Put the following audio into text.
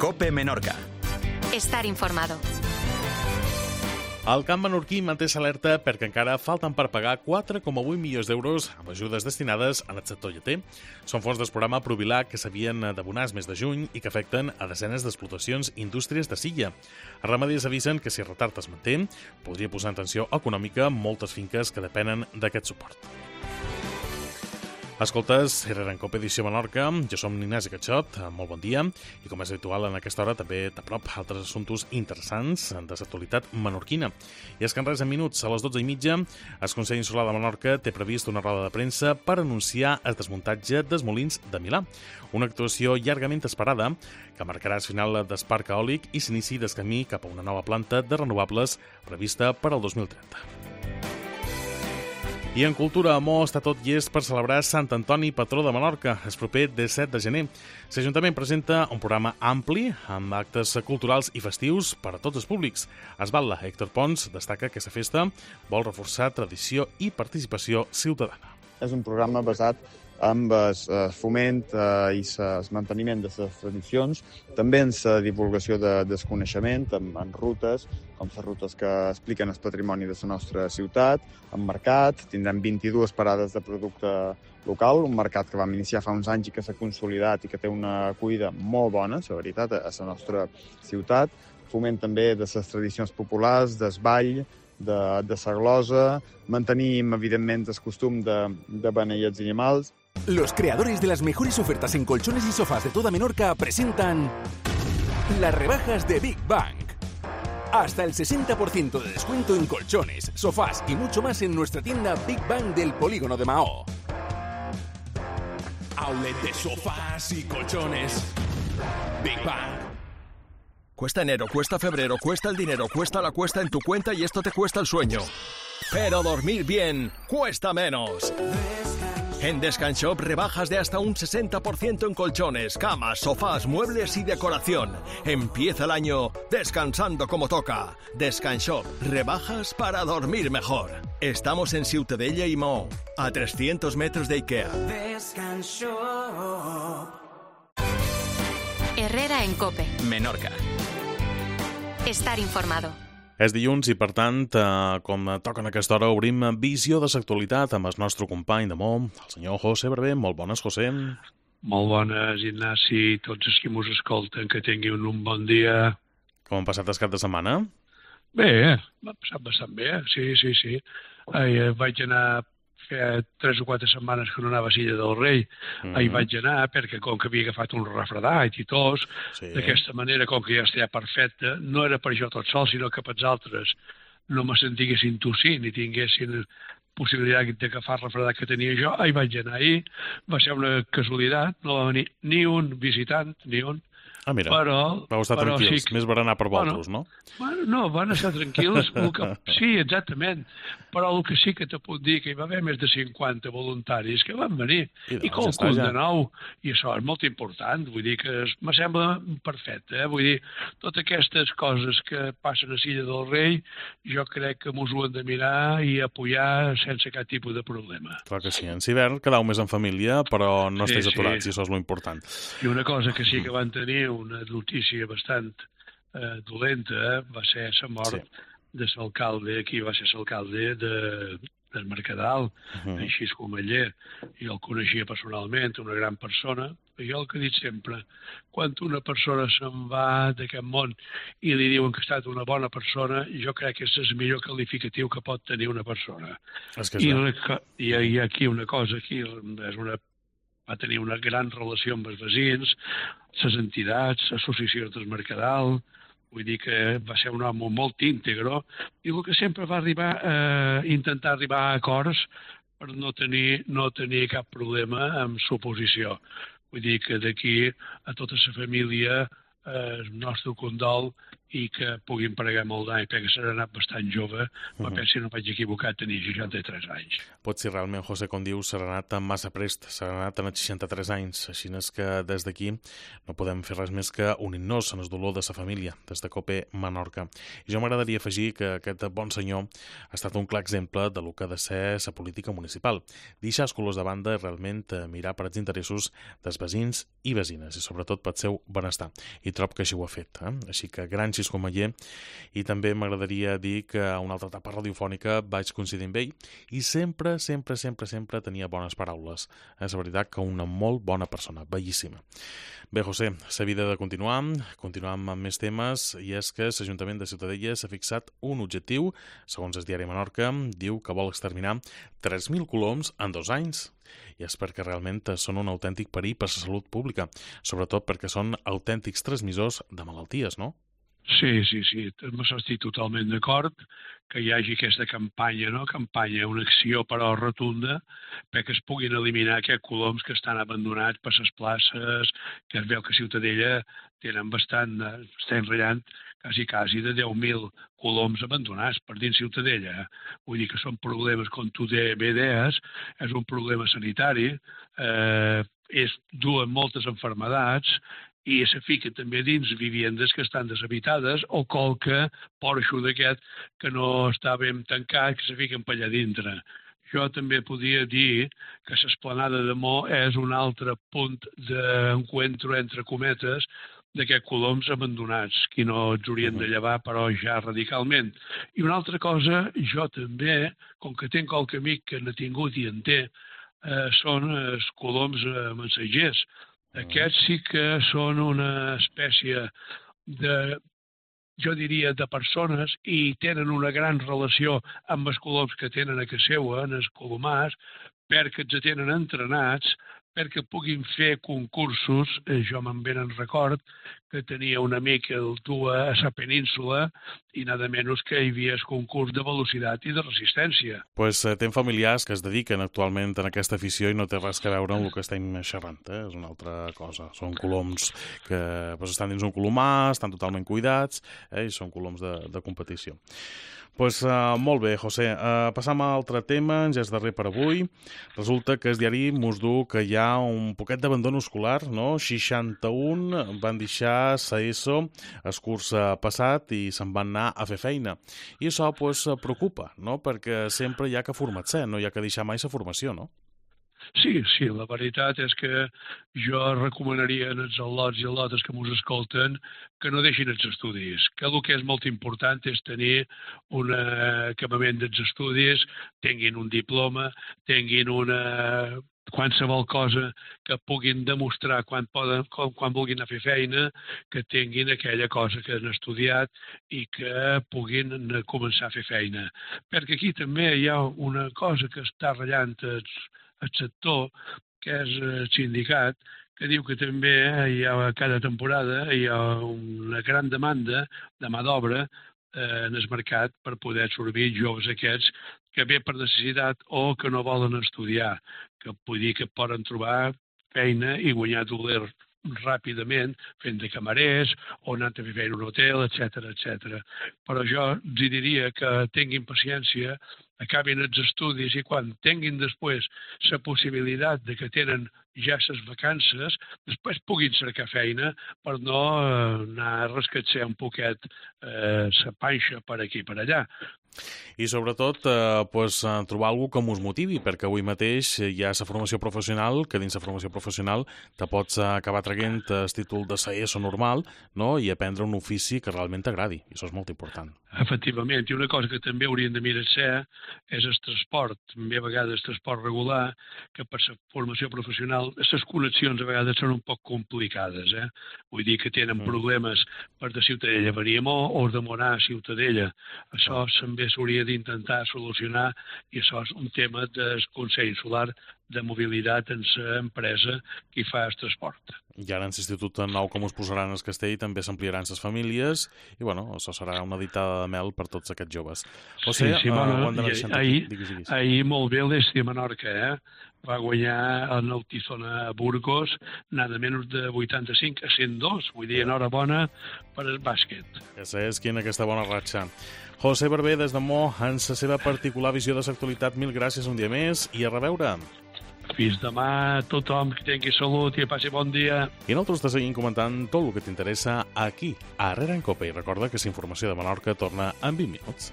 COPE Menorca. Estar informado. El camp menorquí manté l'alerta perquè encara falten per pagar 4,8 milions d'euros amb ajudes destinades al sector lleter. Són fons del programa Provilar que s'havien d'abonar el mes de juny i que afecten a desenes d'explotacions i indústries de Silla. Els ramaders avisen que si el retard es manté, podria posar en tensió econòmica moltes finques que depenen d'aquest suport. Escoltes, Herrera en COPE Edició Menorca, jo som Ignasi Catxot, molt bon dia, i com és habitual en aquesta hora també t'aprop altres assumptes interessants de l'actualitat menorquina. I és que en res de minuts, a les 12:30, el Consell Insular de Menorca té previst una roda de premsa per anunciar el desmuntatge dels molins de Milà, una actuació llargament esperada que marcarà el final del parc eòlic i s'inici del camí cap a una nova planta de renovables prevista per al 2030. I en cultura, Mo està tot llest per celebrar Sant Antoni, patró de Menorca, el proper 17 de gener. L'Ajuntament presenta un programa ampli amb actes culturals i festius per a tots els públics. Esbatla, Héctor Pons, destaca que la festa vol reforçar tradició i participació ciutadana. És un programa basat amb el foment i el manteniment de les tradicions, també en la divulgació del coneixement, amb rutes, com les rutes que expliquen el patrimoni de la nostra ciutat, amb mercat, tindrem 22 parades de producte local, un mercat que vam iniciar fa uns anys i que s'ha consolidat i que té una acollida molt bona, la veritat, a la nostra ciutat, foment també de les tradicions populars, del ball, de la glosa, mantenim, evidentment, el costum de beneir els animals. Los creadores de las mejores ofertas en colchones y sofás de toda Menorca presentan las rebajas de Big Bang. Hasta el 60% de descuento en colchones, sofás y mucho más en nuestra tienda Big Bang del Polígono de Mahó. Outlet de sofás y colchones. Big Bang. Cuesta enero, cuesta febrero, cuesta el dinero, cuesta la cuesta en tu cuenta y esto te cuesta el sueño. Pero dormir bien cuesta menos. En Descanshop rebajas de hasta un 60% en colchones, camas, sofás, muebles y decoración. Empieza el año descansando como toca. Descanshop, rebajas para dormir mejor. Estamos en Ciutadella y Maó, a 300 metros de Ikea. Descanshop. Herrera en COPE Menorca. Estar informado. És dilluns i, per tant, com toca en aquesta hora, obrim visió de l'actualitat amb el nostre company de món, el senyor José Barber. Molt bones, José. Molt bones, Ignasi, tots els que mos escolten, que tinguin un bon dia. Com han passat el cap de setmana? Bé, m'ha passat bastant bé, sí. Vaig anar fa 3 o 4 setmanes que no anava a Silla del Rei. Ahir vaig anar perquè com que havia agafat un refredat i tos, d'aquesta manera, com que ja estava perfecte, no era per jo tot sol, sinó que per els altres no me sentiguessin tossir ni tinguessin possibilitat d'agafar el refredat que tenia jo. Ahir vaig anar va ser una casualitat, no va venir ni un visitant, ni un. Ah, mira, vau estar tranquils, sí, més berenar per vosaltres, no? Bueno, no, van estar tranquils. Sí, exactament. Però el que sí que te puc dir que hi va haver més de 50 voluntaris que van venir. I qualcun de nou. I això és molt important. Vull dir que me sembla perfecte. Vull dir, totes aquestes coses que passen a Silla del Rei, jo crec que mos ho hem de mirar i apoyar sense cap tipus de problema. Clar que sí. En hivern quedau més en família, però no estàs aturats, i això és l'important. I una cosa que sí que van tenir, una notícia bastant dolenta, va ser la mort de l'alcalde, aquí va ser l'alcalde del Mercadal, així com ell. Jo el coneixia personalment, una gran persona, i jo el que he dit sempre, quan una persona se'n va d'aquest món i li diuen que ha estat una bona persona, jo crec que és el millor qualificatiu que pot tenir una persona. I aquí una cosa, va tenir una gran relació amb els veïns, les entitats, l'associació del Mercadal. Vull dir que va ser un home molt íntegre i el que sempre va intentar arribar a acords per no tenir cap problema amb l'oposició. Vull dir que d'aquí a tota la família el nostre condol i que puguin pregar molt d'any, perquè s'ha anat bastant jove, però penso, si no vaig equivocat, tenia 63 anys. Pot ser realment, José, com dius, s'ha anat massa prest, s'ha anat a 63 anys, així és que des d'aquí no podem fer res més que unir-nos en el dolor de sa família, des de COPE Menorca. I jo m'agradaria afegir que aquest bon senyor ha estat un clar exemple de lo que ha de ser sa política municipal, deixar els colors de banda i realment mirar per als interessos dels veïns i veïnes, i sobretot pel seu benestar. I trob que així ho ha fet. Així que gran xiscomeller, i també m'agradaria dir que a una altra etapa radiofònica vaig coincidir amb ell i sempre tenia bones paraules. És veritat que una molt bona persona, bellíssima. Bé, José, s'ha de continuar amb més temes, i és que l'Ajuntament de Ciutadella s'ha fixat un objectiu, segons el diari Menorca, diu que vol exterminar 3.000 coloms en 2 anys. I és perquè realment són un autèntic perill per la salut pública, sobretot perquè són autèntics transmissors de malalties, no? Sí, estic totalment d'acord que hi hagi aquesta campanya, una acció però rotunda, perquè es puguin eliminar aquests coloms que estan abandonats per les places, que es veu que a Ciutadella tenen bastant, estem ratllant quasi de 10.000 coloms abandonats per dins Ciutadella. Vull dir que són problemes, com tu bé deies, és un problema sanitari, duen moltes malalties, i se fica també dins vivendes que estan deshabitades o qualque porxo d'aquest que no està ben tancat, que se fiquen per allà dintre. Jo també podia dir que l'esplanada de Mo és un altre punt d'encuentro, entre cometes, d'aquests coloms abandonats, que no els haurien de llevar, però ja radicalment. I una altra cosa, jo també, com que tinc qualque amic que n'ha tingut i en té, són els coloms mensatgers. Aquests sí que són una espècie de, jo diria, de persones, i tenen una gran relació amb els coloms que tenen a casa seva, en els colomars, perquè els tenen entrenats, perquè puguin fer concursos. Jo me'n ben record que tenia un amic que el duia a la península i nada menys que hi havia el concurs de velocitat i de resistència. Pues tem familiars que es dediquen actualment a aquesta afició i no té res a veure amb el que estem xerrant, és una altra cosa. Són coloms que estan dins un colomar, estan totalment cuidats, i són coloms de competició. Molt bé, José. Passam a altre tema, ja és darrer per avui. Resulta que el diari mos diu que hi ha un poquet d'abandon escolar, no? 61 van deixar l'ESO el curs passat i se'n van anar a fer feina. I això preocupa, no? Perquè sempre hi ha que formar-se, no hi ha que deixar mai la formació, no? Sí, la veritat és que jo recomanaria als al·lots i al·lotes que ens escolten que no deixin els estudis, que el que és molt important és tenir un acabament dels estudis, tinguin un diploma, tinguin qualsevol cosa que puguin demostrar quan vulguin anar a fer feina, que tinguin aquella cosa que han estudiat i que puguin començar a fer feina. Perquè aquí també hi ha una cosa que està ratllant el sector, que és el sindicat, que diu que també cada temporada hi ha una gran demanda de mà d'obra en el mercat per poder absorbir joves aquests que ve per necessitat o que no volen estudiar, que vull dir que poden trobar feina i guanyar doler ràpidament fent de camarers o anant a fer feina a un hotel, etc. Però jo els diria que tinguin paciència, acabin els estudis i quan tinguin després la possibilitat de que tenen ja les vacances, després puguin cercar feina per no anar a rascar-se un poquet la panxa per aquí i per allà. I sobretot trobar alguna que us motivi, perquè avui mateix hi ha la formació professional, que dins la formació professional te pots acabar traient el títol de l'ESO normal, no? I aprendre un ofici que realment t'agradi, i això és molt important. Efectivament, i una cosa que també haurien de mirar-se és el transport, també a vegades transport regular, que per la formació professional les connexions a vegades són un poc complicades, Vull dir que tenen problemes per de Ciutadella a venir a Mo o de Morà a Ciutadella. Això també s'hauria d'intentar solucionar i això és un tema del Consell Insular de mobilitat en l'empresa que hi fa el transport. I ara en l'Institut nou com us posaran el castell també s'ampliaran les famílies i això serà una ditada de mel per tots aquests joves. Ahir molt bé l'Esti de Menorca, va guanyar en el Tizona Burgos, nada menys de 85 a 102. Vull dir, enhorabona per el bàsquet. Ja saps quina aquesta bona ratxa. José Barber, des de Mo, en la seva particular visió de l'actualitat, mil gràcies un dia més i a reveure. Fins demà, tothom que tingui salut i passi bon dia. I nosaltres te seguim comentant tot el que t'interessa aquí, a Herrera en Cope. I recorda que la informació de Menorca torna en 20 minuts.